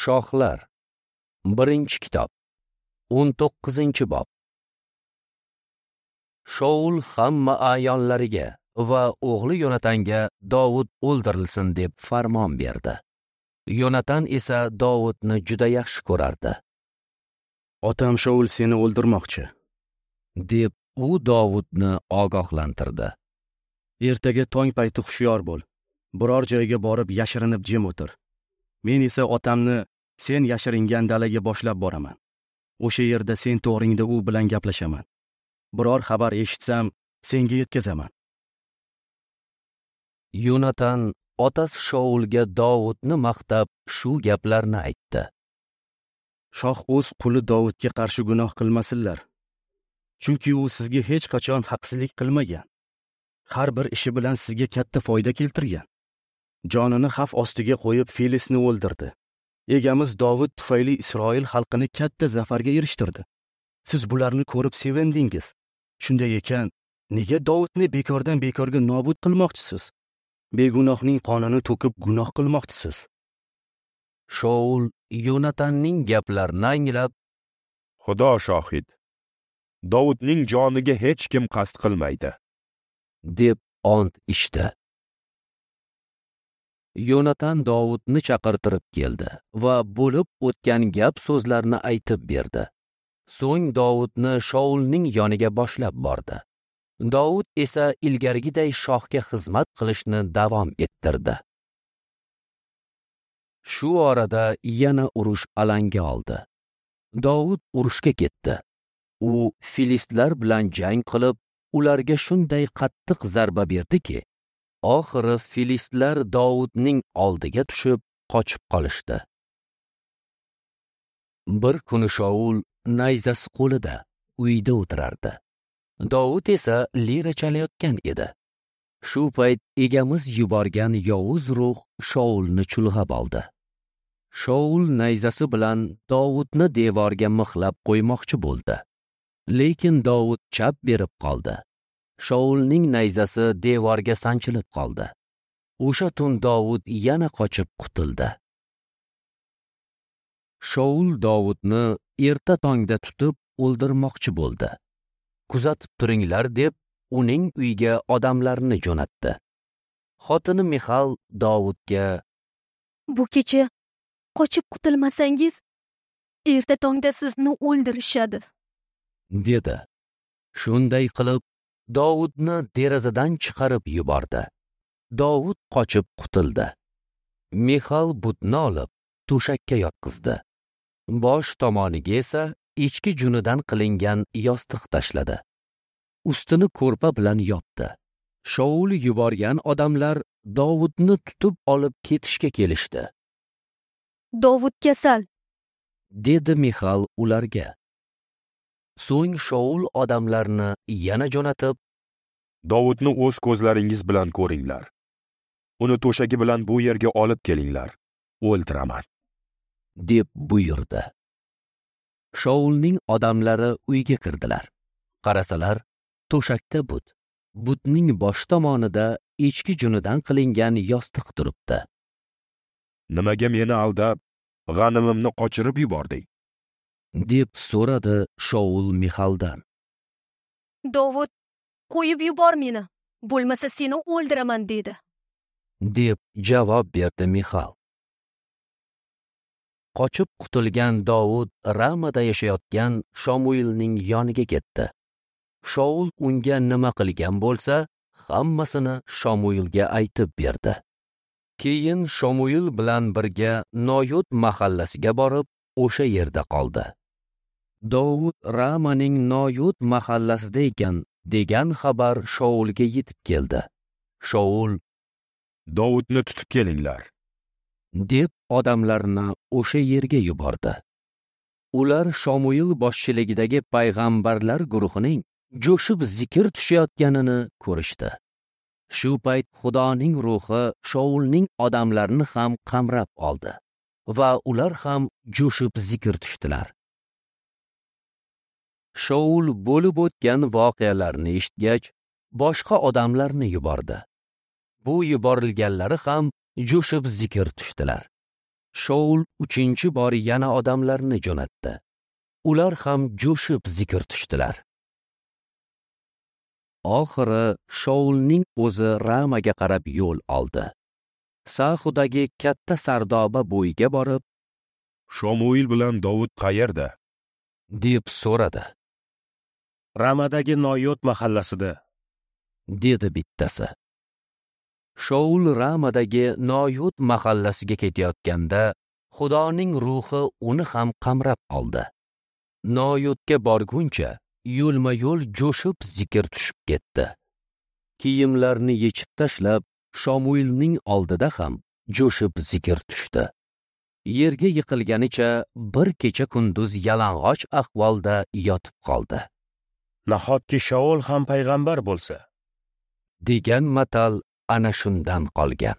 Shohlar. 1-kitob. 19-bob. Shaul hamma a'yonlariga va o'g'li Yonatanga Dovud o'ldirilsin deb farmon berdi. Yonatan esa Dovudni juda yaxshi ko'rardi. Otam Shaul seni o'ldirmoqchi, deb u Dovudni ogohlantirdi. Ertaga tong payti hushyor bo'l. Biror joyga borib yashirinib jim o'tir. Men esa otamni sen yashiringan dalaga boshlab boraman. O'sha yerda sen to'g'ringda u bilan gaplashaman. Biror xabar eshitsam, senga yetkazaman. Yonatan otasi Shaulga Dovudni maqtab shu gaplarni aytdi. Shoh o'z quli Dovudga qarshi gunoh qilmasinlar. Chunki u sizga hech qachon haqsizlik qilmagan. Har bir ishi bilan sizga katta foyda keltirgan. Jonini xavf ostiga qo'yib Filisni o'ldirdi. Egamiz Dovud tufayli Isroil xalqini katta zafarga erishtirdi. Siz bularni ko'rib sevindingiz. Shunday ekan, nega Dovudni bekordan bekorga nobud qilmoqchisiz? Begunohning qonini to'kib gunoh qilmoqchisiz. Shaul Yonatanning gaplarini anglab, Xudo shohid, Dovudning joniga hech kim qasd qilmaydi, deb ont ichdi. Yonatan Dovudni chaqirtirib keldi va bo'lib o'tgan gap so'zlarni aytib berdi. So'ng Dovudni Shaulning yoniga boshlab bordi. Dovud esa ilgarigiday shohga xizmat qilishni davom ettirdi. Shu orada yana urush alanga oldi. Dovud urushga ketdi. U filistlar bilan jang qilib, ularga shunday qattiq zarba berdiki, oxiri filistlar Dovudning oldiga tushib, qochib qolishdi. Bir kuni Shaul nayzasi qo'lida uyda o'tirardi. Dovud esa lira chalayotgan edi. Shu payt egamiz yuborgan yovuz ruh Shaulni chulg'ab oldi. Shaul nayzasi bilan Dovudni devorga mixlab qo'ymoqchi bo'ldi. Lekin Dovud chap berib qoldi. Shaulning nayzasi devorga sanchilib qoldi. O'sha tun Dovud yana qochib qutuldi. Shaul Dovudni erta tongda tutib o'ldirmoqchi bo'ldi. Kuzatib turinglar deb uning uyiga odamlarni jo'natdi. Xotini Mixal Dovudga: "Bu kecha qochib qutulmasangiz, erta tongda sizni o'ldirishadi", dedi. Shunday qilib Dovudni derazadan chiqarib yubordi. Dovud qochib qutuldi. Mixal butni olib to'shakka yotqizdi. Bosh tomoniga esa echki junidan qilingan yostiq tashladi. Ustini ko'rpa bilan yopdi. Shaul yuborgan odamlar Dovudni tutib olib ketishga kelishdi. "Dovud kasal", dedi Mixal ularga. So'ng Shaul odamlarni yana jo'natib, "Dovudni o'z ko'zlaringiz bilan ko'ringlar. Uni to'shagi bilan bu yerga olib kelinglar. O'ltiraman", deb buyurdi. Shaulning odamlari uyga kirdilar. Qarasalar, to'shakda but, butning bosh tomonida echki junidan qilingan yostiq turibdi. "Nimaga meni aldab, g'animimni qochirib yubording?" deb so'radi Shaul Mixaldan. "Dovud, qo'yib yubor meni, bo'lmasa seni o'ldiraman", dedi, deb javob berdi Mixal. Qochib qutulgan Dovud Ramada yashayotgan Shamuilning yoniga ketdi. Shaul unga nima qilgan bo'lsa, hammasini Shamuilga aytib berdi. Keyin Shamuil bilan birga Noyot mahallasiga borib, o'sha yerda qoldi. Dovud Ramaning Noyot mahallasida ekan degan xabar Shaulga yetib keldi. Shaul: "Dovudni tutib kelinglar", deb odamlarni o'sha yerga yubordi. Ular Shamuil boshchiligidagi payg'ambarlar guruhining jo'shib zikr tushayotganini ko'rishdi. Shu payt Xudoning ruhi Shaulning odamlarini ham qamrab oldi va ular ham jo'shib zikr tushdilar. Shaul bo'lib o'tgan voqealarni eshitgach, boshqa odamlarni yubordi. Bu yuborilganlari ham jo'shib zikr tushdilar. Shaul 3-chi bor yana odamlarni jo'natdi. Ular ham jo'shib zikr tushdilar. Oxiri Shaulning o'zi Ramaga qarab yo'l oldi. Sahudagi katta sardoba bo'yiga borib, Shomuil bilan Dovud qayerda? deb so'radi. Ramadagi Noyot mahallasida, dedi bittasi. Shaul Ramadagi Noyot mahallasiga ketayotganda Xudoning ruhi uni ham qamrab oldi. Noyotga borguncha yo'lma-yo'l jo'shib zikr tushib ketdi. Kiyimlarini yechib tashlab, Shomuilning oldida ham jo'shib zikr tushdi. Yerga yiqilganicha bir kecha kunduz yalang'och ahvolda yotib qoldi. Nahotki Shaul ham payg'ambar bo'lsa? Degan matal ana shundan qolgan.